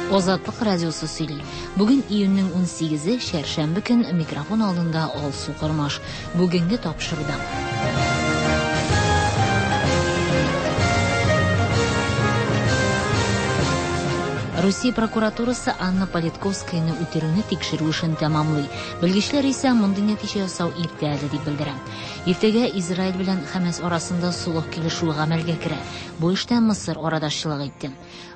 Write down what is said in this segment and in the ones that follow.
Азатлык радиосы сөйли. Бүген июньнең 18-е, чәршәмбе көн, микрофон алдында Алсу Кормаш. Бүгенге тапшыруда. Русия прокуратурасы Анна Политковскаяны үтерүне тикшерү эшен тәмамлый. Белгечләр исә мондый нәтиҗә ясау иртә әле дип белдерә. Иртәгә Израиль белән Хәмәс арасында солых килешүе гамәлгә керә. Бу эштә Мысыр арадашчылык итте.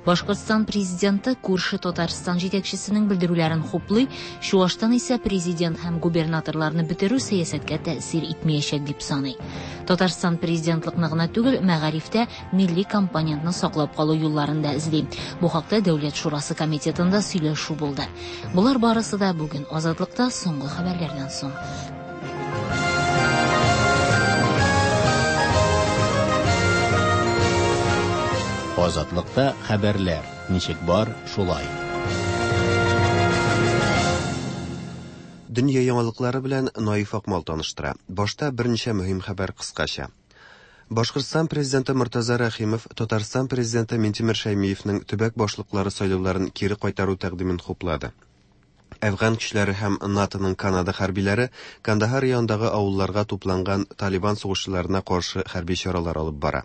Башкортстан президенты күрше Татарстан җитәкчесенең белдерүләрен хуплый, Чуашстан исә президент һәм губернаторларны бетерү сәясәткә тәэсир итмәячәк дип саный. Татарстан президентлыкны гына түгел, мәгарифтә милли компонентны саклап калу юлларын да эзли. Бу хакта Дәүләт шурасы комитетында сөйләшү булды. Болар барысы да бүген Азатлыкта соңгы хәбәрләрдән соң. Азатлыкта хәбәрләр ничек бар, шулай. Дөнья яңалыклары белән Наиф Акмал таныштыра. Башта берничә мөһим хәбәр кыскача. Башкортстан президенты Мортаза Рәхимов Татарстан президенты Минтимер Шәймиевнең төбәк башлыклары сайлауларын кире кайтару тәкъдимен хуплады. Әфган көчләре һәм НАТОның Канада хәрбиләре Кандахар янындагы авылларга тупланган Талибан сугышчыларына каршы хәрби чаралар алып бара.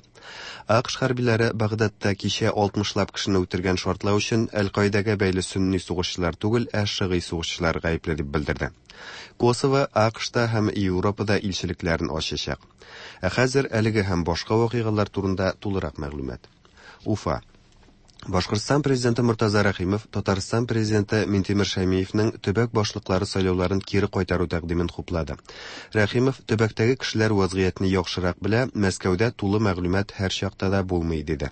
АКШ хәрбиләре Багдадта кичә 60лап кешене үтергән шартлау өчен Әл-Каидәгә бәйле сөнни сугышчылар түгел, ә шыгый сугышчылар гаепле дип белдерде. Косово АКШта һәм Европада илчелекләрен ачачак. Ә хәзер әлеге һәм башка вакыйгалар турында тулырак мәгълүмат. Уфа. Башкортстан президенты Мортаза Рәхимов Татарстан президенты Минтимер Шәймиевнең төбәк башлыклары сайлауларын кире кайтару тәкъдимен хуплады. Рәхимов төбәктәге кешеләр вазгыятьне яхшырак белә, Мәскәүдә тулы мәгълүмат һәр чакта да булмый, диде.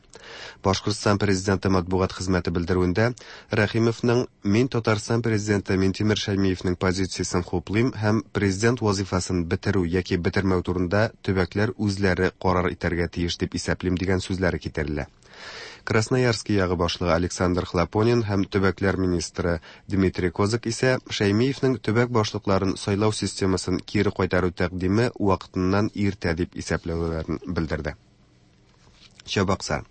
Башкортстан президенты матбугат хезмәте белдерүендә Рәхимовның Мин Татарстан президенты Минтимер Шәймиевнең позициясен хуплыйм һәм президент вазифасын бетерү яки бетермәү турында төбәкләр үзләре карар итәргә тиеш дип исәплим дигән сүзләре китерелә. Красноярский ягы башлыгы Александр Хлопонин һәм төбәкләр министры Дмитрий Козак исә Шәймиевнең төбәк башлыкларын сайлау системасын кире кайтару тәкъдиме вакытыннан иртә дип исәпләүләрен белдерде. Чабаксар.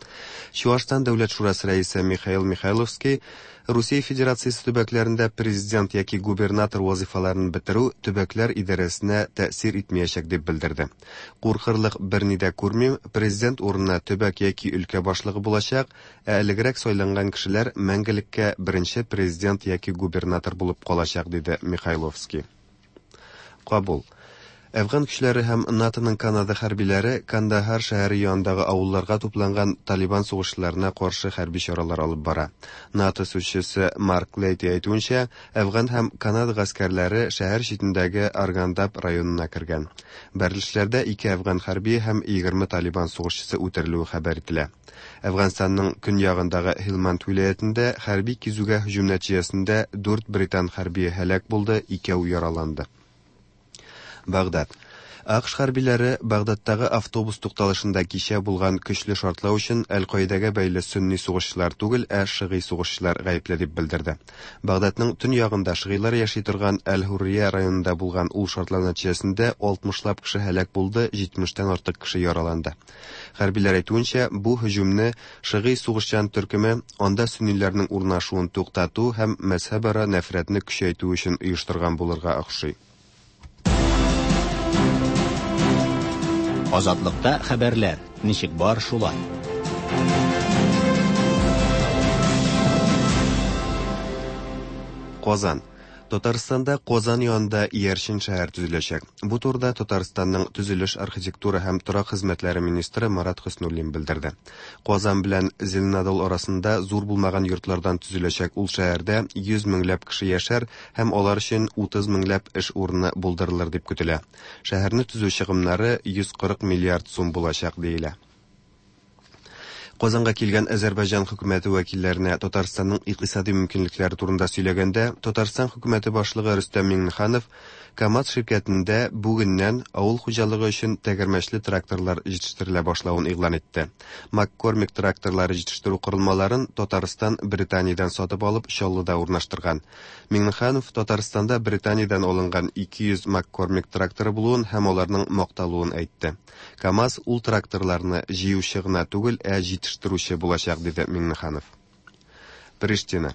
Чуашстан Дәүләт шурасы рәисе Михаил Михайловский Русия Федерациясе төбәкләрендә президент яки губернатор вазифаларын бетерү төбәкләр идарәсенә тәэсир итмәячәк дип белдерде. Куркырлык берни дә күрмим, президент урынына төбәк яки өлкә башлыгы булачак, ә элегрәк сайланган кешеләр мәңгелеккә беренче президент яки губернатор булып калачак, диде Михайловский. Кабул. Әфган көчләре һәм НАТОның Канада хәрбиләре Кандахар шәһәре янындагы авылларга тупланган Талибан сугышчыларына каршы хәрби чаралар алып бара. НАТО сүзчесе Марк Лейти әйтүенчә, Әфган һәм Канада гаскәрләре шәһәр читендәге Аргандаб районына кергән. Бәрелешләрдә ике әфган хәрбие һәм 20 Талибан сугышчысы үтерелүе хәбәр ителә. Әфганстанның көньягындагы Һилманд вилаятендә хәрби кизүгә һөҗүм нәтиҗәсендә дүрт британ хәрбие һәлак булды, икәү яраланды. Багдад. АКШ хәрбиләре Багдадтагы автобус тукталышында кичә булган көчле шартлау өчен Әл-Каидәгә бәйле сөнни сугышчылар түгел, ә шыгый сугышчылар гаепле дип белдерде. Багдадның төньягында шыгыйлар яши торган Әл-Һуррия районында булган ул шартлау нәтиҗәсендә 60лап кеше һәлак булды, 70тән артык кеше яраланды. Хәрбиләр әйтүенчә, бу һөҗүмне шыгый сугышчан төркеме анда сөнниләрнең урнашуын туктату һәм мәзһәбара нәфрәтне көчәйтү өчен оештырган булырга охшый. Азатлыкта хәбәрләр ничек бар, шулай. Казан. Татарстанда Казан янында иярчен шәһәр төзеләчәк. Бу турыда Татарстанның төзелеш, архитектура һәм торак хезмәтләре министры Марат Хөснуллин белдерде. Казан белән Зеленодол арасында зур булмаган йортлардан төзеләчәк ул шәһәрдә 100 меңләп кеше яшәр һәм алар өчен 30 меңләп эш урыны булдырылыр дип көтелә. Шәһәрне төзү чыгымнары 140 миллиард сум булачак диелә. Казанга килгән Азәрбайҗан хөкүмәте вәкилләренә Татарстанның икътисади мөмкинлекләре турында сөйләгәндә, Татарстан хөкүмәте башлыгы Рөстәм Миңнеханов КАМАЗ ширкәтендә бүгеннән авыл хуҗалыгы өчен тәгәрмәчле тракторлар җитештерелә башлавын игълан итте. Маккормик тракторлары җитештерү корылмаларын Татарстан Британиядән сатып алып Чаллыда урнаштырган. Миңнеханов Татарстанда Британиядән алынган 200 Маккормик тракторы булуын һәм аларның макталуын әйтте. КАМАЗ ул тракторларны җыючы гына түгел, ә җитештерүче булачак, диде Миңнеханов. Приштина.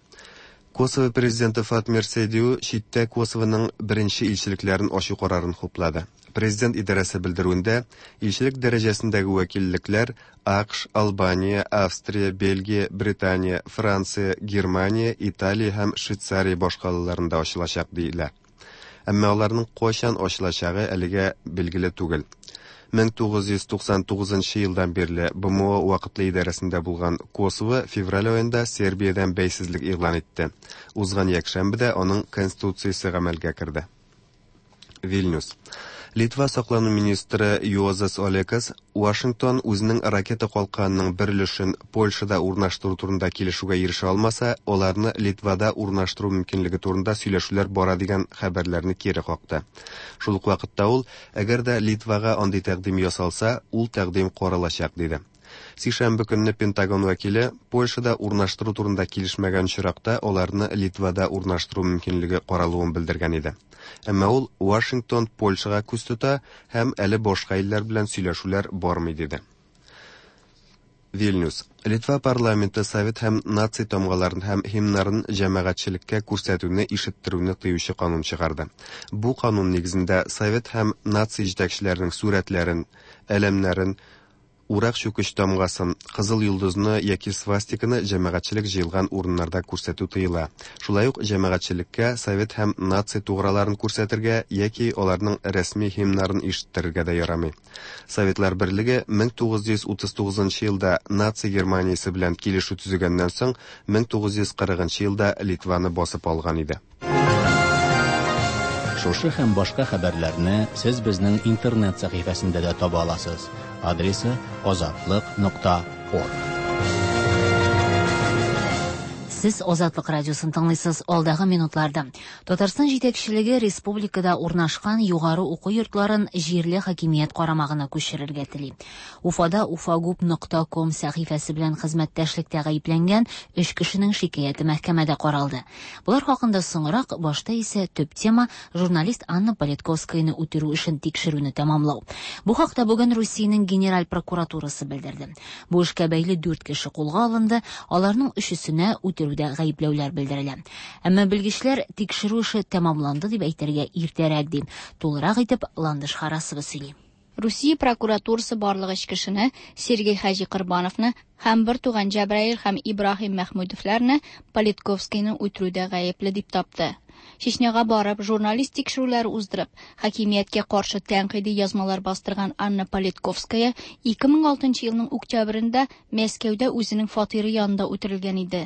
Косово президенты Фатмир Сейдиу читтә Косовоның беренче илчелекләрен ачу карарын хуплады. Президент идарәсе белдерүендә, илчелек дәрәҗәсендәге вәкиллекләр АКШ, Албания, Австрия, Бельгия, Британия, Франция, Германия, Италия һәм Швейцария башкалаларында ачылачак диелә. Әмма аларның кайчан ачылачагы әлегә билгеле түгел. 1999 елдан бирле БМО вакытлы идарәсендә булган Косово февраль аенда Сербиядән бәйсезлек игълан итте. Узган якшәмбедә аның конституциясе гамәлгә керде. Вильнюс. Литва саклану министры Юозас Олекас Вашингтон үзенең ракета калканының бер өлешен Польшада урнаштыру турында килешүгә ирешә алмаса, аларны Литвада урнаштыру мөмкинлеге турында сөйләшүләр бара дигән хәбәрләрне кире какты. Шул ук вакытта ул, әгәр дә Литвага андый тәкъдим ясалса, ул тәкъдим каралачак, диде. Сишәмбе көнне Пентагон вәкиле Польшада урнаштыру турында килешмәгән очракта аларны Литвада урнаштыру мөмкинлеге каралуын белдергән иде. Әмма ул Вашингтон Польшага күз тота һәм әле башка илләр белән сөйләшүләр бармый диде. Вильнюс. Литва парламенты совет һәм наци тамгаларын һәм һимнарын җәмәгатьчелеккә күрсәтүне, ишеттерүне тыючы канун чыгарды. Бу канун нигезендә совет һәм наци җитәкчеләренең сурәтләрен, әләмнәрен, Урак чүкеч тамгасын, кызыл йолдызны яки свастиканы җәмәгатьчелек җыелган урыннарда күрсәтү тыела. Шулай ук җәмәгатьчелеккә совет һәм наци туграларын күрсәтергә яки аларның рәсми һимнарын ишеттерергә дә ярамый. Советлар Берлеге 1939 елда наци Германиясе белән килешү төзегәннән соң 1940 елда Литваны басып алган иде. Шушы һәм башка хәбәрләрне сез безнең интернет сәхифәсендә дә таба аласыз. Адресы azatliq.org. Сез Азатлык радиосын тыңлыйсыз. Алдагы минутларда Татарстан җитәкчелеге республикада урнашкан югары уку йортларын җирле хакимият карамагына күчерергә тели. Уфада ufagup.com сәхифәсе белән хезмәттәшлектә гаепләнгән өч кешенең шикаяте мәхкәмәдә каралды. Болар хакында соңрак, башта исә төп тема журналист Анна Политковскаяны үтерү эшен тикшерүне тәмамлау. Бу хакта бүген Русиянең Генераль прокуратурасы белдерде. Бу эшкә бәйле 4 кеше кулга алынды, аларның өчесенә үтерүдә гаепләүләр белдерелә. Әмма белгечләр тикшерү эше тәмамланды дип әйтергә иртәрәк ди. Тулырак итеп Ландыш Харасова сөйли. Русия прокуратурасы барлык өч кешене Сергей Хаҗи Корбановны һәм бер туган Җәбраил һәм Ибраһим Мәхмүдовларны Политковскийны үтерүдә гаепле дип тапты. Чечняга барып, журналист тикшерүләре уздырып, хакимияткә каршы тәнкыйди язмалар бастырган Анна Политковская 2006 елның октябрендә Мәскәүдә үзенең фатиры янында үтерелгән иде.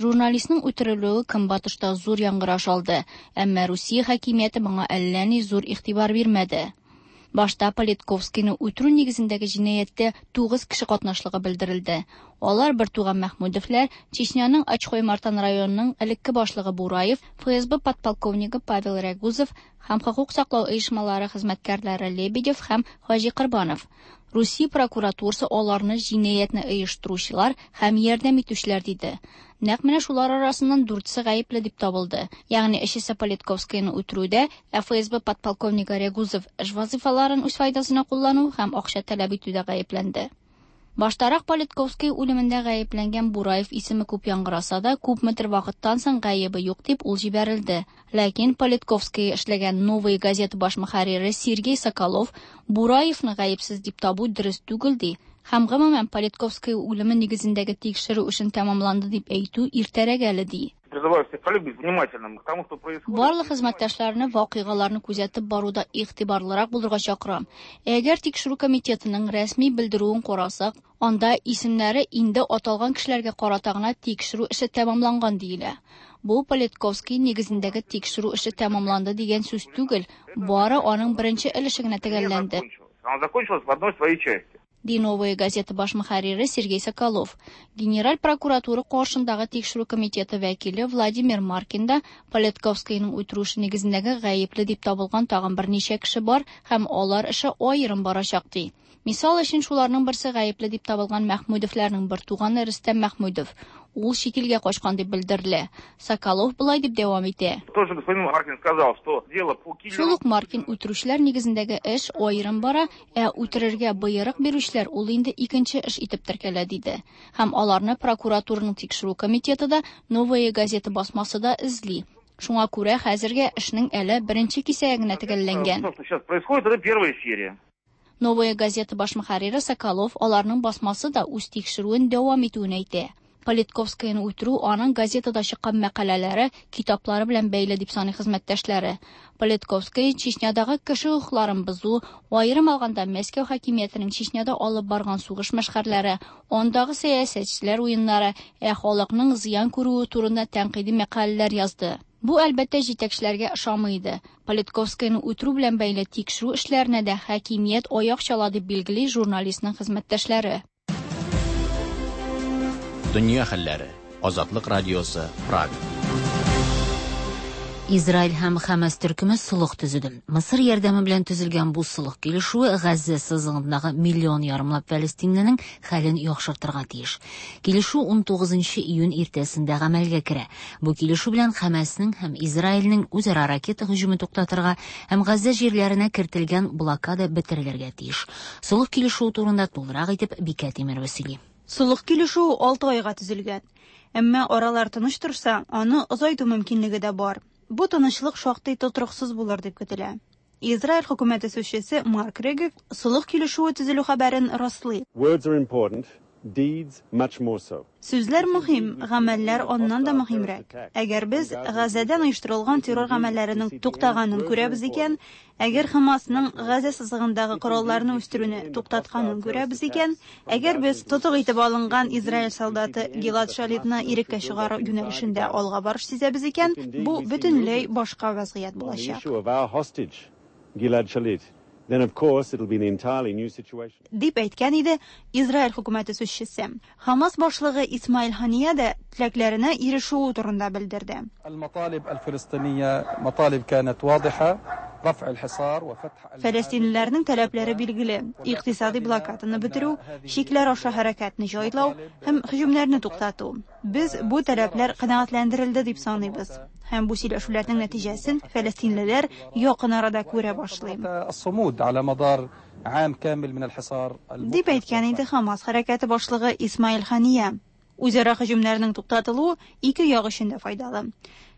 Журналистның үтерелүе Көнбатышта зур яңгыраш алды, әмма Русия хакимияте моңа әллә ни зур игътибар бирмәде. Башта Политковскийны үтерү нигезендәге җинаятьтә 9 кеше катнашлыгы белдерелде. Алар бер туган Мәхмүдовлар, Чечняның Ачхой-Мартан районының элекке башлыгы Бураев, ФСБ подполковнигы Павел Рягузов һәм хокук саклау оешмалары хезмәткәрләре Лебедев һәм Хаҗи Корбанов. Русия прокуратурасы аларны җинаятьне оештыручылар һәм ярдәм итүчеләр диде. Нәкъ менә шулар арасыннан дүртесе гаепле дип табылды. Ягъни өчесе Политковскийны үтерүдә, ә ФСБ подполковнигы Рягузов эш вазифаларын үз файдасына куллану һәм акча таләп итүдә гаепләнде. Баштарак Политковский үлемендә гаепләнгән Бураев исеме күп яңгыраса да, күпмедер вакыттан соң гаебе юк дип ул җибәрелде. Ләкин Политковский эшләгән Новая газета баш мөхәррире Сергей Соколов Бураевны гаепсез дип табу дөрес түгел ди. Һәм гомумән Политковский үлеме нигезендәге тикшерү эшен тәмамланды дип әйтү иртәрәк әле ди. Призываю всех коллег быть внимательным к тому, что происходит. Барлык хезмәттәшләрне вакыйгаларны күзәтеп баруда игътибарлырак булырга чакырам. Әгәр тикшерү комитетының рәсми белдерүен карасак, анда исемнәре инде аталган кешеләргә карата гына тикшерү эше тәмамланган диелә. Бу Политковский нигезендәге тикшерү эше тәмамланды дигән сүз түгел, бары аның беренче өлеше генә төгәлләнде. Она закончилась в одной своей части. Ди Новая газета баш мөхәррире Сергей Соколов. Генераль прокуратура каршындагы тикшерү комитеты вәкиле Владимир Маркин да Политковскийның үтерү эше нигезендәге гаепле дип табылган тагын берничә кеше бар һәм алар эше аерым барачак ди. Мисал өчен шуларның берсе гаепле дип табылган Мәхмүдовларның бер туганы Рөстәм Мәхмүдов. Ул чит илгә качкан дип белдерелә. Соколов болай дип дәвам итә. Тот же господин Маркин сказал, что дело по киллеру... Шул ук Маркин үтерүчеләр нигезендәге эш аерым бара, ә үтерергә боерык бирүчеләр ул инде икенче эш итеп теркәлә, диде. Һәм аларны прокуратураның тикшерү комитеты да, Новая газета басмасы да эзли. Шуңа күрә хәзергә эшнең әле беренче кисәге генә төгәлләнгән. То, что сейчас происходит, это первая серия. Новая газета баш мөхәррире Соколов аларның басмасы да үз тикшерүен дәвам итүен әйтә. Политковскаяны үтерү аның газетада чыккан мәкаләләре, китаплары белән бәйле дип саный хезмәттәшләре. Политковская Чечнядагы кеше хокукларын бозу, аерым алганда Мәскәү хакимиятенең Чечняда алып барган сугыш мәшхәрләре, андагы сәясәтчеләр уеннары, ә халыкның зыян күрүе турында тәнкыйди мәкаләләр язды. Бу, әлбәттә, җитәкчеләргә ошамый иде. Политковскаяны үтерү белән бәйле тикшерү эшләренә дә хакимият аяк чала дип билгели журналистның хезмәттәшләре. Дөнья хәлләре. Азатлык радиосы, Прага. Израиль һәм Хәмәс төркеме солых төзеде. Мысыр ярдәме белән төзелгән бу солых килешүе Газзә сызыгындагы миллион ярымлап фәлестинленең хәлен яхшыртырга тиеш. Килешү 19 июнь иртәсендә гамәлгә керә. Бу килешү белән Хәмәснең һәм Израильнең үзара ракета һөҗүме туктатырга һәм Газзә җирләренә кертелгән блокада бетерелергә тиеш. Солых килешүе турында тулырак итеп Бикә Тимерова сөйли. Солых килешүе 6 айга төзелгән. Әмма аралар тыныч торса, аны озайту мөмкинлеге дә бар. Бу тынычлык шактый тотрыксыз булыр дип көтелә. Израиль хөкүмәте сүзчесе Марк Регев солых килешүе төзелү хәбәрен раслый. Words are important, deeds much more so. Сүзләр мөһим, гамәлләр аннан да мөһимрәк. Әгәр без Газәдән оештырылган террор гамәлләренең туктаганын күрәбез икән, әгәр Хамасның Газә сызыгындагы коралларны үстерүне туктатканын күрәбез икән, әгәр без тотык итеп алынган Израиль солдаты Гилад Шалитны иреккә чыгару юнәлешендә алга барыш сизәбез икән, бу бөтенләй башка вазгыять булачак. Gilad Shalit, then of course it'll be an entirely new situation. Дип әйткән иде Израиль хөкүмәте сүзчесе. Хамас башлыгы Исмаил Хания дә теләкләренә ирешүе турында белдерде. المطالب الفلسطينية مطالب كانت واضحة رفع الحصار وفتح Фәләстинлеләрнең таләпләре билгеле: икътисади блокаданы бетерү, чикләр аша хәрәкәтне җайлау һәм һөҗүмнәрне туктату. Без бу таләпләр канәгатьләндерелде дип саныйбыз. Һәм бу сөйләшүләрнең нәтиҗәсен фәләстинлеләр якын арада күрә башлый. الصمود على مدار عام كامل من الحصار Дип әйткән иде Хамас хәрәкәте башлыгы Исмаил Хания. Үзара һөҗүмнәрнең туктатылуы ике як өчен дә файдалы.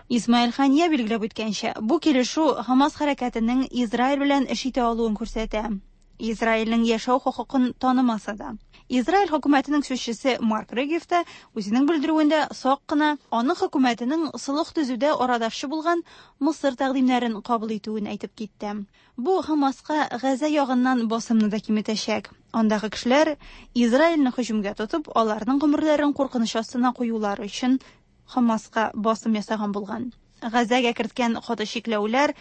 Исмаил Хания билгеләп үткәнчә, бу килешү Хамас хәрәкәтенең Израиль белән эш итә алуын күрсәтә. Израильнең яшәү хокукын танымаса да. Израиль хөкүмәтенең сүзчесе Марк Регев та үзенең белдерүендә сак кына аның хөкүмәтенең солых төзүдә арадашчы булган Мысыр тәкъдимнәрен кабул итүен әйтеп китте. Бу Хамаска Газа ягыннан басымны да киметәчәк. Андагы кешеләр Израильне һөҗүмгә тотып, аларның гомерләрен куркыныч астына куюлары өчен Хамаска басым ясаган булган. Газәгә керткән каты чикләүләр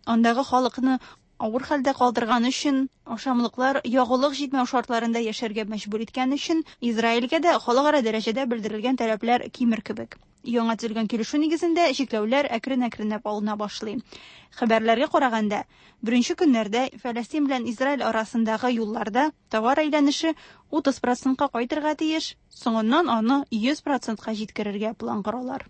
андагы халыкны авыр хәлдә калдырган өчен, ашамлыклар ягулык җитмәү шартларында яшәргә мәҗбүр иткән өчен Израильгә дә халыкара дәрәҗәдә белдерелгән таләпләр кимер кебек. Яңа төзелгән килешү нигезендә чикләүләр әкрен-әкренләп алына башлый. Хәбәрләргә караганда, беренче көннәрдә Фәләстин белән Израиль арасындагы юлларда товар әйләнеше 30%-ка кайтырга тиеш, соңыннан аны 100%-ка җиткерергә план коралар.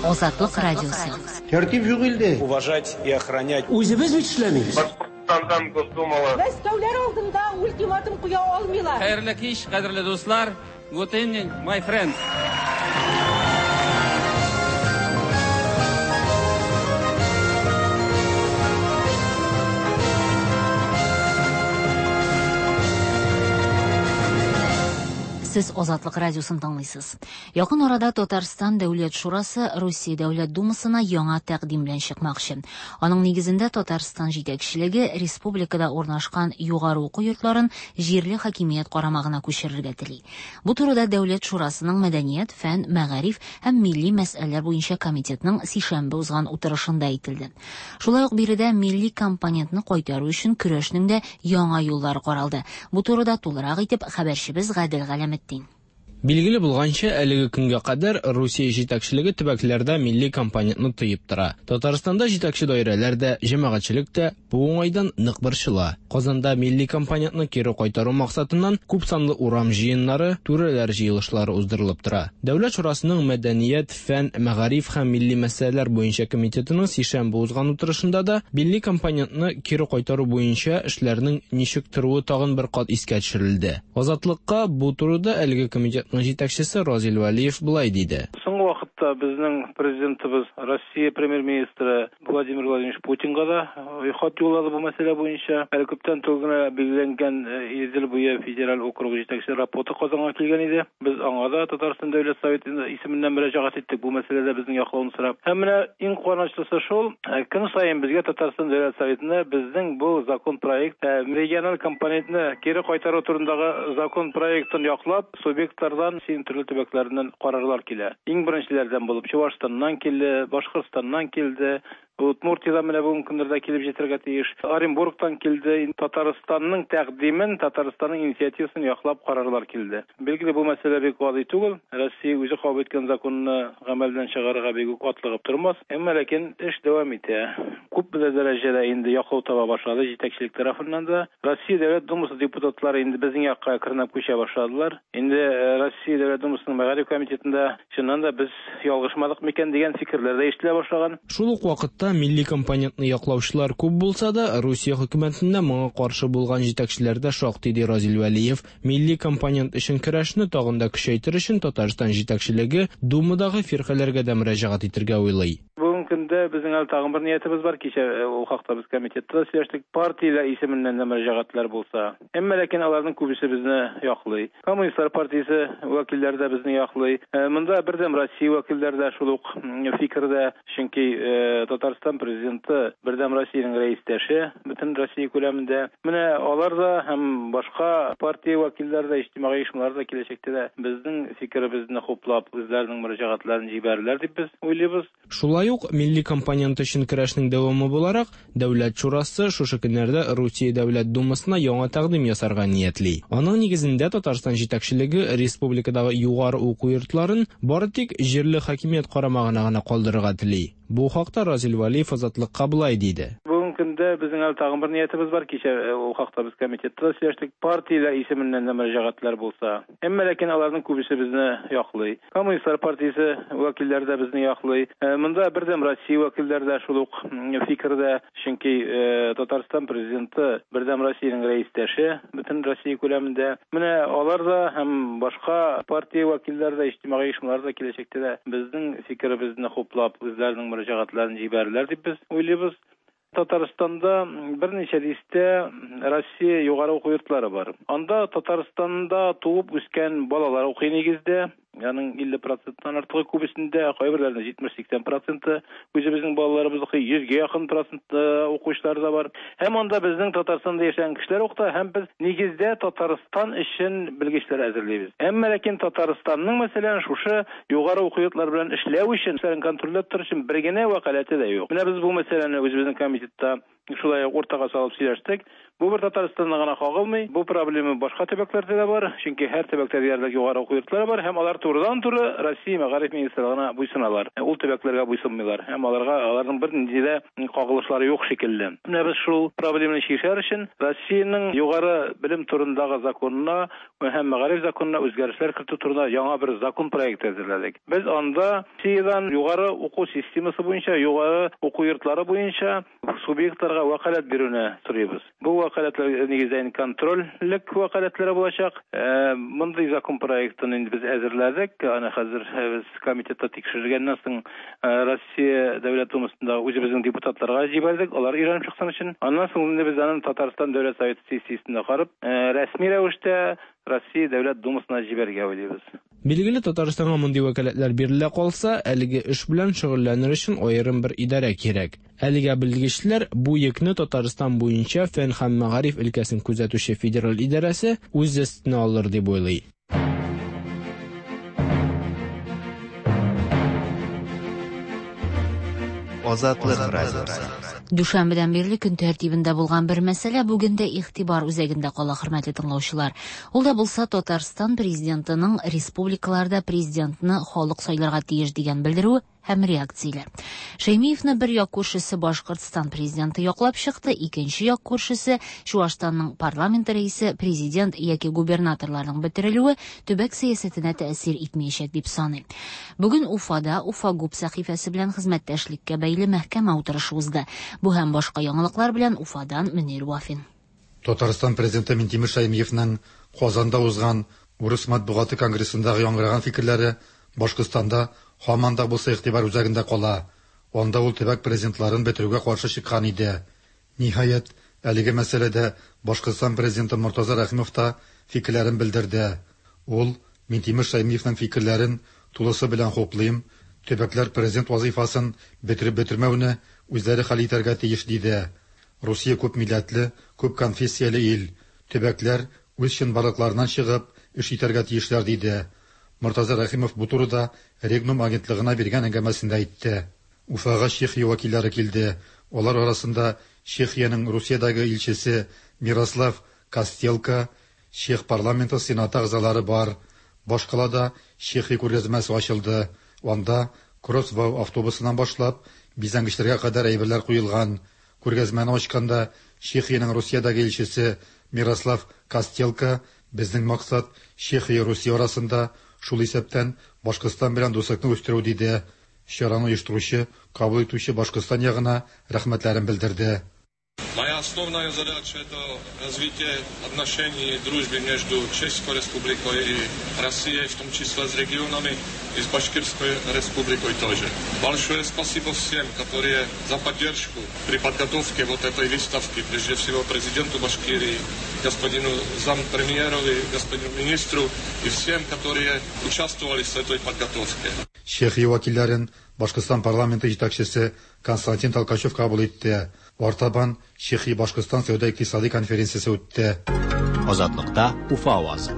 Азатлык радиосы. Тәртип юк илдә. Уважать и охранять. Үзебез бит эшләмибез. Башкортстандан Госдумала. Мәскәүләр алдында ультиматум куя алмыйлар. Хәерле кич, кадерле дуслар. Good evening, my friends. Сез Азатлык радиосын тыңлыйсыз. Якын арада Татарстан Дәүләт Шурасы Русия Дәүләт Думасына яңа тәкъдим белән чыкмакчы. Аның нигезендә Татарстан җитәкчелеге республикада урнашкан югары уку йортларын җирле хакимият карамагына күчерергә тели. Бу турыда Дәүләт Шурасының мәдәният, фән, мәгариф һәм милли мәсьәләләр буенча комитетның сишәмбе узган утырышында әйтелде. Шулай ук биредә милли компонентны кайтару өчен көрәшнең дә яңа юллары каралды. Бу турыда тулырак итеп хәбәрчебез Гадел Галәметдин. Билгеле булганча, әлеге көнгә кадәр Русия җитәкчелеге төбәкләрдә милли компонентны тыеп тора. Татарстанда җитәкче даирәләр дә, җәмәгатьчелек тә бу уңайдан нык борчыла. Казанда милли компонентны кире кайтару максатыннан күпсанлы урам җыеннары, түрәләр җыелышлары уздырылып тора. Дәүләт шурасының мәдәният, фән, мәгариф һәм милли мәсьәләләр буенча комитетының сишәмбе узган утырышында да милли компонентны кире кайтару буенча эшләрнең ничек торуы тагын бер кат искә төшерелде. Азатлыкка бу турыда әлеге комитетның җитәкчесе Разил Вәлиев болай диде. Соңгы вакытта безнең президентыбыз Россия премьер-министры Владимир Владимирович Путинга да хат юллады бу мәсьәлә буенча. Әле күптән түгел генә билгеләнгән Идел буе федераль округы җитәкчесе Рапота Казанга килгән иде. Без аңа да Татарстан Дәүләт Советы исеменнән мөрәҗәгать иттек бу мәсьәләдә безнең яклауны сорап. Һәм менә иң куанычлысы шул, көн саен безгә Татарстан Дәүләт Советына безнең бу закон проект региональ компонентны кире кайтару турындагы закон проектын яклап, субъектлардан, Россиянең төрле төбәкләреннән карарлар килә. Иң беренчеләрдән булып Чувашстаннан килде, Башкортстаннан килде, Удмуртиядән менә бүгенге көннәрдә килеп җитәргә тиеш. Оренбургтан килде. Татарстанның тәкъдимен, Татарстанның инициативасын яклап карарлар килде. Билгеле, бу мәсьәлә бик гади түгел. Россия үзе кабул иткән законны гамәлдән чыгарырга бик үк атлыгып тормас. Әмма ләкин эш дәвам итә. Күпмедер дәрәҗәдә инде яклау таба башлады җитәкчелек тарафыннан да. Россия Дәүләт Думасы депутатлары инде безнең якка әкренләп күчә башладылар. Инде Россия Дәүләт Думасының мәгариф комитетында чыннан да без ялгышмадык микән дигән фикерләр дә ишетелә башлаган. Шул ук вакытта милли компонентны яклаучылар күп булса да, Русия хөкүмәтендә моңа каршы булган җитәкчеләр дә шактый, ди Разил Вәлиев. Милли компонент өчен көрәшне тагын да көчәйтер өчен Татарстан җитәкчелеге Думадагы фиркаләргә дә мөрәҗәгать итергә уйлый. Бүгенге көндә безнең әле тагын бер ниятебез бар. Кичә ул хакта без комитетта да сөйләштек. Партияләр исеменнән дә мөрәҗәгатьләр булса. Әмма ләкин аларның күбесе безне яклый. Коммунистлар партиясе вәкилләре дә безне яклый. Монда Бердәм Россия вәкилләре дә шул ук фикердә. Чөнки Татарстан президенты Бердәм Россиянең рәистәше бөтен Россия күләмендә. Менә алар да һәм башка партия вәкилләре дә, иҗтимагый оешмалар да киләчәктә дә безнең фикеребезне хуплап, үзләренең мөрәҗәгатьләрен җибәрерләр дип без уйлыйбыз. Шулай ук милли компонент өчен көрәшнең дәвамы буларак, Дәүләт шурасы шушы көннәрдә Русия Дәүләт Думасына яңа тәкъдим ясарга ниятли. Аның нигезендә Татарстан җитәкчелеге республикадагы югары уку йортларын бары тик җирле хакимият карамагына гына калдырырга тели. Бу хакта Разил Вәлиев Азатлыкка болай диде. Бүгенге көндә безнең әле тагын бер ниятебез бар. Кичә ул хакта без комитетта да сөйләштек. Партияләр исеменнән дә мөрәҗәгатьләр булса. Әмма ләкин аларның күбесе безне яклый. Коммунистлар партиясе вәкилләре дә безне яклый. Монда Бердәм Россия вәкилләре дә шул ук фикердә. Чөнки Татарстан президенты Бердәм Россиянең рәистәше бөтен Россия күләмендә. Менә алар да һәм башка партия вәкилләре дә, иҗтимагый оешмалар да киләчәктә дә безнең фикеребезне хуплап, үзләренең мөрәҗәгатьләрен җибәрерләр дип без уйлыйбыз. Татарстанда берничә дистә Россия югары уку йортлары бар. Анда Татарстанда туып үскән балалар укый нигездә. Аның 50 проценттан артыгы күбесендә, кайберләрендә 70-80 проценты үзебезнең балаларыбыз укый, 100гә якын процент укучылар да бар. Һәм анда безнең Татарстанда яшәгән кешеләр укыта, һәм без нигездә Татарстан өчен белгечләр әзерлибез. Әмма ләкин Татарстанның, мәсәлән, шушы югары уку йортлары белән эшләү өчен, эшләрен контрольләп тору өчен бер генә вәкаләте дә юк. Менә без бу мәсьәләне үзебезнең комитетта шулай ук уртага салып сөйләштек. Бу бер Татарстанда гына кагылмый, бу проблема башка төбәкләрдә дә бар, чөнки һәр төбәктә диярлек югары уку йортлары бар һәм алар турыдан-туры Россия мәгариф министрлыгына буйсыналар. Ул төбәкләргә буйсынмыйлар һәм аларга аларның бернинди дә кагылышлары юк шикелле. Менә без шул проблеманы чишәр өчен Россиянең югары белем турындагы законына һәм мәгариф законына үзгәрешләр кертү турында яңа бер закон проекты әзерләдек. Без анда Россиядән югары уку системасы буенча, югары уку йортлары буенча субъектларга вәкаләт бирүне сорыйбыз. Бу вәкаләтләр нигездә инде контрольлек вәкаләтләре булачак. Мондый закон проектын инде без әзерләдек. Аны хәзер без комитетта тикшерелгәннән соң Россия Дәүләт Думасында үзебезнең депутатларга җибәрдек, алар өйрәнеп чыксын өчен. Аннан соң инде без аны Татарстан Дәүләт Советы сессиясендә карап, рәсми рәвештә Россия Дәүләт Думасына җибәрергә уйлыйбыз. Билгеле, Татарстанга мондый вәкаләтләр бирелә калса, әлеге эш белән шөгыльләнер өчен аерым бер идарә кирәк. Әлегә белгечләр бу йөкне Татарстан буенча фән һәм мәгариф өлкәсен күзәтүче федераль идарәсе үз өстенә алыр дип уйлый. Азатлык радиосы. Дүшәмбедән бирле көн тәртибендә булган бер мәсьәлә бүген дә игътибар үзәгендә кала, хөрмәтле тыңлаучылар. Ул да булса Татарстан президентының республикаларда президентны халык сайларга тиеш дигән белдерүе һәм реакцияләр. Шәймиевны бер як күршесе Башкортстан президенты яклап чыкты, икенче як күршесе Чуашстанның парламент рәисе, президент яки губернаторларның бетерелүе төбәк сәясәтенә тәэсир итмәячәк дип саный. Бүген Уфада Уфа ГУП сәхифәсе белән хезмәттәшлеккә бәйле мәхкәмә утырышы узды. Бу һәм башка яңалыклар белән Уфадан Мөнир Вафин. Татарстан президенты Минтимер Шәймиевның Казанда узган Урыс матбугаты конгрессындагы яңгыраган фикерләре Башкортстанда һаман да булса игътибар үзәгендә кала. Анда ул төбәк президентларын бетерүгә каршы чыккан иде. Ниһаять, әлеге мәсьәләдә Башкортстан президенты Мортаза Рәхимов та фикерләрен белдерде. Ул Минтимер Шәймиевның фикерләрен тулысы белән хуплыйм, төбәкләр президент вазифасын бетереп бетермәүне үзләре хәл итәргә тиеш диде. Русия күп милләтле, күп конфессияле ил. Төбәкләр үз чынбарлыкларыннан чыгып эш итәргә тиешләр диде. Мортаза Рәхимов бу турыда Регнум агентлыгына биргән әңгәмәсендә әйтте. Уфага Чехия вәкилләре килде. Алар арасында Чехиянең Русиядәге илчесе Мирослав Костелка, Чех парламенты сенаты әгъзалары бар. Башкалада Чехия күргәзмәсе ачылды. Анда Кроссвау автобусыннан башлап бизәнгечләргә кадәр әйберләр куелган. Күргәзмәне ачканда Чехиянең Русиядәге илчесе Мирослав Костелка безнең максат Чехия Русия арасында шул исәптән Башкортстан белән дуслыкны үстерү диде. Чараны оештыручы, кабул итүче Башкортстан ягына рәхмәтләрен белдерде. Моя основная задача это развитие отношений и дружбы между Чешской Республикой и Россией, в том числе с регионами и с Башкирской Республикой тоже. Большое спасибо всем, которые за поддержку при подготовке вот этой выставки, прежде всего президенту Башкирии, господину зампремьеру, господину министру и всем, которые участвовали в этой подготовке. Чехия вәкилләрен Башкортстан парламенты җитәкчесе Константин Толкачев кабул итте. Артабан Чехия Башкортстан сәүдә икътисади конференциясе үтте. Азатлыкта Уфа авазы.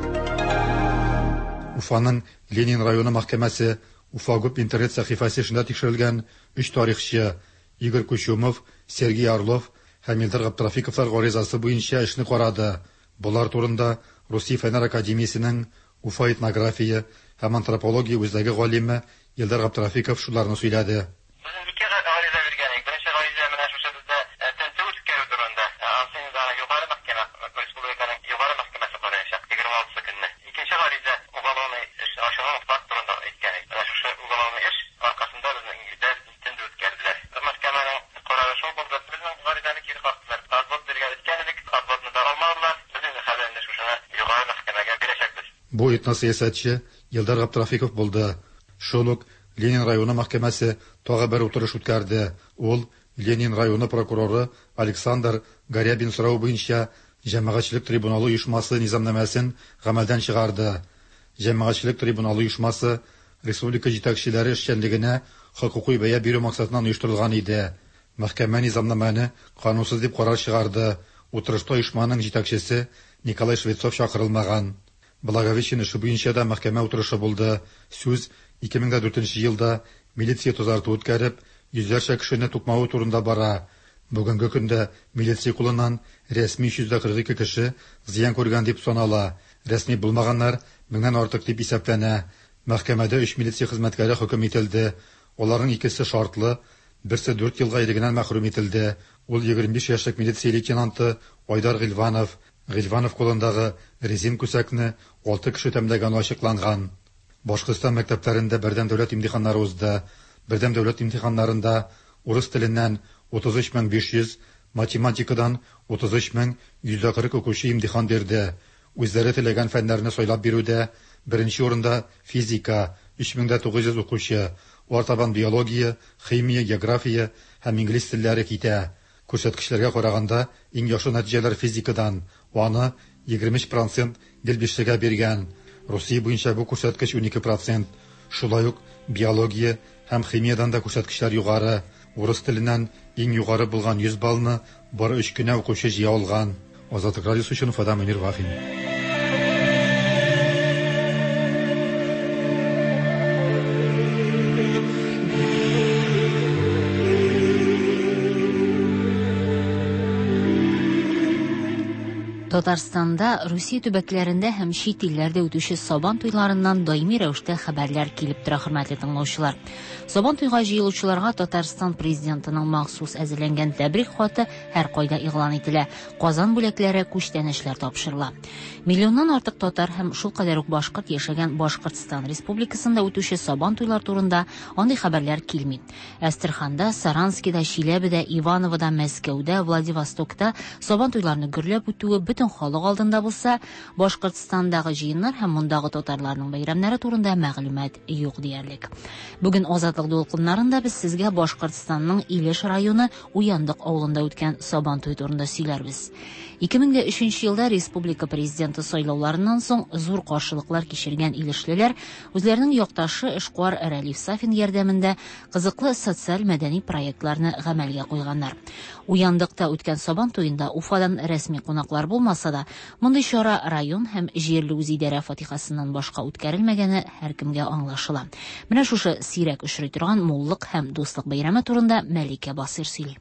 Уфаның Ленин районы мәхкәмәсе Уфа ГУП интернет сәхифәсе эшендә тикшерелгән өч тарихчы Игорь Кучумов, Сергей Орлов һәм Илдар Габдрафиковлар гаризасы буенча эшне карады. Болар турында Русия Фәннәр академиясенең Уфа этнография һәм антропология үзәге галиме Илдар Габдрафиков шуларны сөйләде. Ике гариза биргән идек. Беренче гариза менә шушы бездә тентү үткәрү турында. Ансы инде аны югары мәхкәмә, республиканың югары мәхкәмәсе караячак 26 көнне. Икенче гариза уголовный эш ачылган факт турында әйткән идек. Менә шушы уголовный эш аркасында безнең илдә тентү үткәрделәр. Мәхкәмәнең карары шул булды. Безнең гаризаны кире кактылар. Отвод биргән иткән идек, отводны да алмадылар. Без инде хәзер инде шушыны югары мәхкәмәгә бирәчәкбез. Бу этносәясәтче Илдар Габдрафиков булды. Шул ук Ленин районы мәхкәмәсе тагы бер утырыш үткәрде. Ул Ленин районы прокуроры Александр Горябин соравы буенча Җәмәгатьчелек трибуналы оешмасы низамнамәсен гамәлдән чыгарды. Җәмәгатьчелек трибуналы оешмасы республика җитәкчеләре эшчәнлегенә хокукый бәя бирү максатыннан оештырылган иде. Мәхкәмә низамнамәне канунсыз дип карар чыгарды. Утырышта оешманың җитәкчесе Николай Швецов чакырылмаган. Благовещен эше буенча да мәхкәмә утырышы булды. Сүз 2004 елда милиция тазарту үткәреп, йөзләрчә кешене тукмавы турында бара. Бүгенге көндә милиция кулыннан рәсми 342 кеше зыян күргән дип санала. Рәсми булмаганнар меңнән артык дип исәпләнә. Мәхкәмәдә 3 милиция хезмәткәре хөкем ителде. Аларның икесе шартлы, берсе 4 елга ирегеннән мәхрүм ителде. Ул 25 яшьлек милиция лейтенанты Айдар Гыйльванов. Гыйльванов кулындагы резин күсәкне 6 кеше тәмләгәне ачыкланган. Башкортстан мәктәпләрендә бердәм дәүләт имтиханнары узды. Бердәм дәүләт имтиханнарында урыс теленнән 33500, математикадан 33140 укучы имтихан бирде. Үзләре теләгән фәннәрне сайлап бирүдә беренче урында физика 3900 укучы, артабан биология, химия, география һәм инглиз телләре китә. Күрсәткечләргә караганда иң яхшы нәтиҗәләр физикадан, аны 23% гел бишлегә биргән. Русия буенча бу күрсәткеч 12%. Шулай ук биология һәм химиядан да күрсәткечләр югары. Урыс теленнән иң югары булган 100 баллны бары 3 кенә укучы җыя алган. Азатлык радиосы өчен Уфадан Мөнир Вафин. Татарстанда, Русия төбәкләрендә һәм чит илләрдә үтүче Сабан туйларыннан даими рәвештә хәбәрләр килеп тора, хөрмәтле тыңлаучылар. Сабан туйга җыелучыларга Татарстан Президентының махсус әзерләнгән тәбрик хаты һәркайда игълан ителә, Казан бүләкләре, күчтәнәчләр тапшырыла. Миллионнан артык татар һәм шулкадәр үк башкорт яшәгән Башкортстан Республикасында үтүче Сабан туйлар турында андый хәбәрләр килми. Әстерханда, Саранскида, Чиләбедә, Ивановода, Мәскәүдә, Владивостокта Сабан туйларны гөрләп үтүе бөтен халык алдында булса, Башкортстандагы җыеннар һәм мондагы татарларның бәйрәмнәре турында мәгълүмат юк диярлек. Бүген Азатлык дулкыннарында без сезгә Башкортстанның Илеш районы Уяндык авылында үткән Сабан туе турында сөйләрбез. 2003 елда республика президенты сайлауларыннан соң зур каршылыклар кичергән илешлеләр үзләренең якташы эшкуар Рәлиф Сафин ярдәмендә кызыклы социаль-мәдәни проектларны гамәлгә куйганнар. Уяндыкта үткән Сабан туенда Уфадан рәсми кунаклар булмаса да, мондый чара район һәм җирле үзидарә фатихасыннан башка үткәрелмәгәне һәркемгә аңлашыла. Менә шушы сирәк очрый торган муллык һәм дуслык бәйрәме турында Мәликә Басыйр сөйли.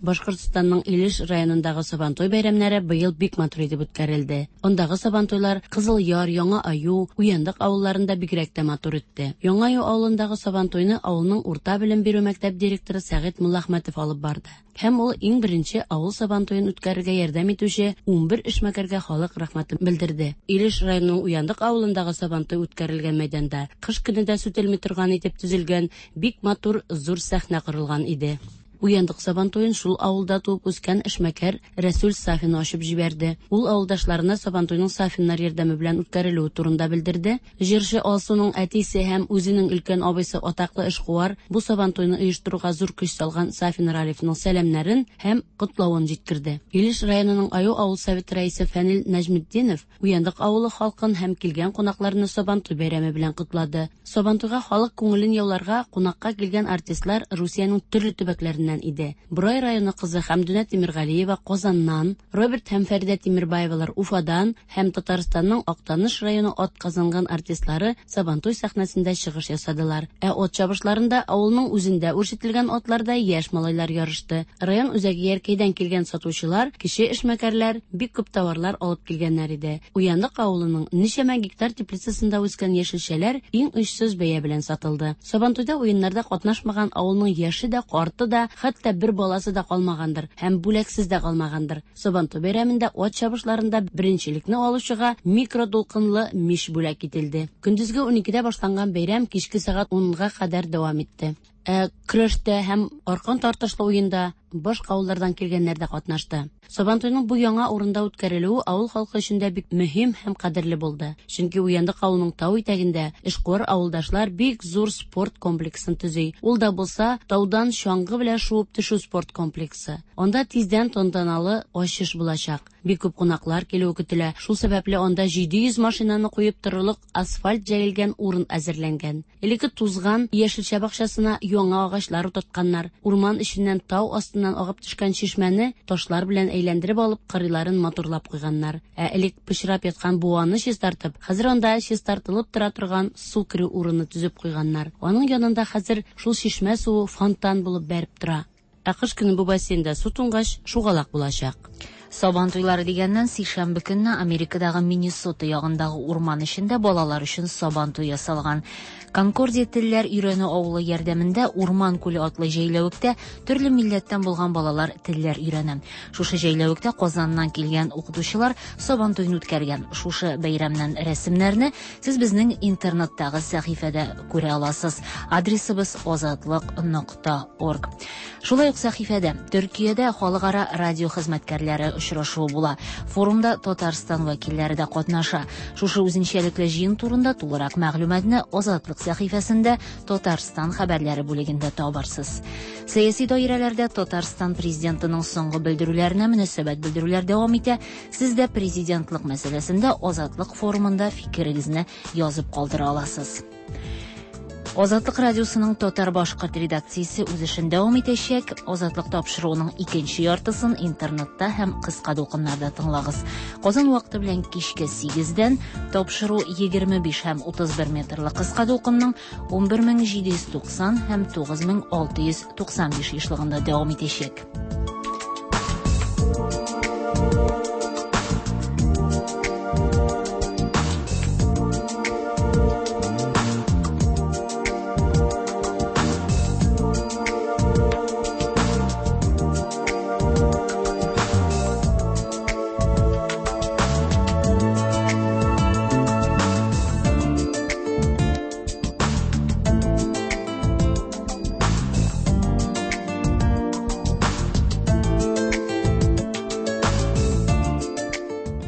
Башкортстанның Илеш районындагы Сабантуй бәйрәмнәре быел бик матур итеп үткәрелде. Андагы Сабантуйлар Кызыл Яр, Яңа Аю, Уяндык авылларында бигрәк тә матур үтте. Яңа Аю авылындагы Сабантуйны авылның урта белем бирү мәктәп директоры Сәгыйть Муллахмәтов алып барды. Һәм ул иң беренче авыл Сабантуен үткәрергә ярдәм итүче 11 эшмәкәргә халык рәхмәтен белдерде. Илеш районының Уяндык авылындагы Сабантуй үткәрелгән мәйданда кыш көне дә сүтелми торган итеп төзелгән бик матур зур сәхнә корылган иде. Уяндык Сабантуен шул авылда туып үскән эшмәкәр Рәсүл Сафин ачып җибәрде. Ул авылдашларына Сабантуйның Сафиннар ярдәме белән үткәрелүе турында белдерде. Җырчы Алсуның әтисе һәм үзенең өлкән абыйсы атаклы эшкуар бу Сабантуйны оештыруга зур көч салган Сафин Ралифның сәламнәрен һәм котлавын җиткерде. Илеш районының Аю авыл советы рәисе Фәнил Нәҗметдинов Уяндык авылы халкын һәм килгән кунакларны Сабантуй бәйрәме белән котлады. Сабантуйга халык күңелен яуларга кунакка килгән артистлар Русиянең төрле төбәкләреннән иде. Борай районы кызы Хәмдүнә Тимергалиева Казаннан, Роберт һәм Фәридә Тимербаевалар Уфадан һәм Татарстанның Актаныш районы атказанган артистлары Сабантуй сәхнәсендә чыгыш ясадылар. Ә ат чабышларында авылның үзендә үрчетелгән атларда яшь малайлар ярышты. Район үзәге Яркәйдән килгән сатучылар, кече эшмәкәрләр бик күп товарлар алып килгәннәр иде. Уяндык авылының ничәмә гектар теплицасында үскән яшелчәләр иң очсыз бәя белән сатылды. Сабантуйда уеннарда катнашмаган авылның яше дә, карты да, хәтта бер баласы да калмагандыр һәм бүләксез дә калмагандыр. Сабантуй бәйрәмендә ат чабышларында беренчелекне алучыга микродулкынлы мич бүләк ителде. Көндезге уникедә башланган бәйрәм кичке сәгать унга кадәр дәвам итте. Ә көрәштә һәм аркан тартышлы уенда башка авыллардан килгәннәр дә катнашты. Сабантуйның бу яңа урында үткәрелүе авыл халкы өчен дә бик мөһим һәм кадерле булды. Чөнки Уяндык авылының тау итәгендә эшкуар авылдашлар бик зур спорт комплексын төзи. Ул да булса, таудан чаңгы белән шуып төшү спорт комплексы. Анда тиздән тантаналы ачыш булачак. Бик күп кунаклар килүе көтелә. Шул сәбәпле анда 700 машинаны куеп торырлык асфальт җәелгән урын әзерләнгән. Элекке тузган яшелчә бакчасына яңа агачлар утыртканнар. Урман эченнән тау астыннан агып төшкән чишмәне ташлар белән әйләндереп алып, кырыйларын матурлап куйганнар. Ә элек пычрап яткан буаны чистартып, хәзер анда чистартылып тора торган су керү урыны төзеп куйганнар. Аның янында хәзер шул чишмә суы фонтан булып бәреп тора. Ә кыш көне бу бассейнда су туңгач, шугалак булачак. Сабан туйлары дигәннән, сишәмбе көнне Америкадагы Миннесота ягындагы урман эчендә балалар өчен сабан туе ясалган. Конкордия телләр өйрәнү авылы ярдәмендә Урман күле атлы җәйләвектә төрле милләттән булган балалар телләр өйрәнә. Шушы җәйләвектә Казаннан килгән укытучылар сабан туен үткәргән. Шушы бәйрәмнән рәсемнәрне сез безнең интернеттагы сәхифәдә күрә аласыз. Адресыбыз азатлык нокта орг. Шулай ук сәхифәдә Төркиядә халыкара радио хезмәткәрләре очрашуы була. Форумда Татарстан вәкилләре дә катнаша. Шушы үзенчәлекле җыен турында тулырак мәгълүматны Азатлык сәхифәсендә Татарстан хәбәрләре бүлегендә табарсыз. Сәяси даирәләрдә Татарстан президентының соңгы белдерүләренә мөнәсәбәт белдерүләр дәвам итә. Сез дә президентлык мәсьәләсендә Азатлык форумында фикерегезне язып калдыра аласыз. Азатлык радиосының татар-башкорт редакциясе үз эшен дәвам итәчәк. Азатлык тапшыруының икенче яртысын интернетта һәм кыска дулкыннарда тыңлагыз. Казан вакыты белән кичке 8-дән тапшыру 25 һәм 31 метрлы кыска дулкынның 11790 һәм 9695 ешлыгында дәвам итәчәк.